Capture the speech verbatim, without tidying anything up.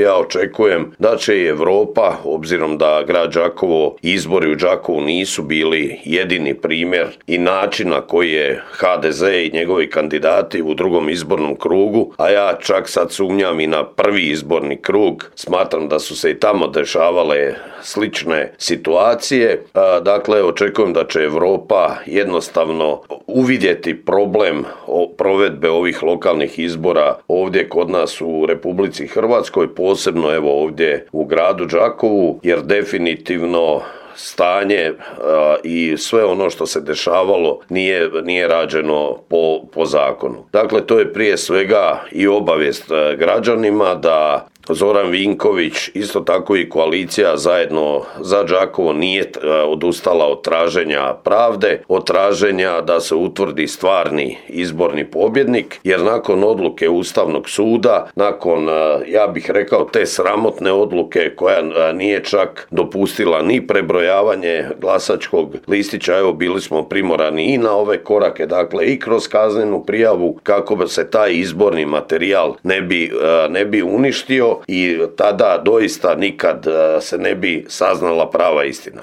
Ja očekujem da će i Europa, obzirom da grad Đakovo, izbori u Đakovu nisu bili jedini primjer i način na koji je ha de ze i njegovi kandidati u drugom izbornom krugu, a ja čak sad sumnjam i na prvi izborni krug, smatram da su se i tamo dešavale slične situacije. Dakle, očekujem da će Europa jednostavno uvidjeti problem provedbe ovih lokalnih izbora ovdje kod nas u Republici Hrvatskoj, posebno evo ovdje u gradu Đakovu, jer definitivno stanje a, i sve ono što se dešavalo nije, nije rađeno po, po zakonu. Dakle, to je prije svega i obavijest građanima da Zoran Vinković, isto tako i koalicija Zajedno za Đakovo nije odustala od traženja pravde, od traženja da se utvrdi stvarni izborni pobjednik, jer nakon odluke Ustavnog suda, nakon, ja bih rekao, te sramotne odluke koja nije čak dopustila ni prebrojavanje glasačkog listića, evo bili smo primorani i na ove korake, dakle i kroz kaznenu prijavu kako se taj izborni materijal ne bi, ne bi uništio i tada doista nikad se ne bi saznala prava istina.